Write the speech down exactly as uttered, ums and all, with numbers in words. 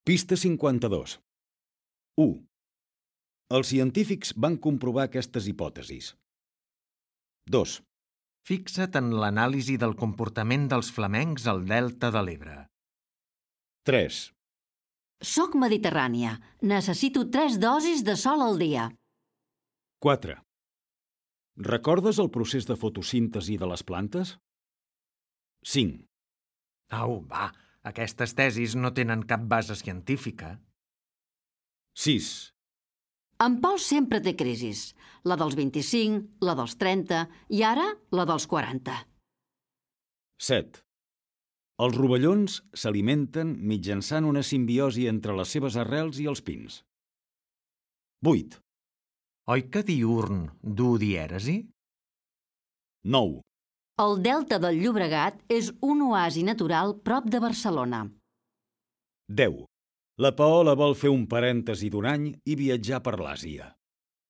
Pista cinquanta-dos. u. Els científics van comprovar aquestes hipòtesis. dos. Fixa't en l'anàlisi del comportament dels flamencs al delta de l'Ebre. tres. Soc mediterrània. Necessito tres dosis de sol al dia. quatre. Recordes el procés de fotosíntesi de les plantes? cinc. Au, va, aquestes tesis no tenen cap base científica. sis. En Pol sempre té crisis. La dels vint-i-cinc, la dels trenta i ara la dels quaranta. set. Els rovellons s'alimenten mitjançant una simbiosi entre les seves arrels i els pins. vuit. Oi que diürn du dièresi? nou. El delta del Llobregat és un oasi natural prop de Barcelona. deu. La Paola vol fer un parèntesi d'un any i viatjar per l'Àsia.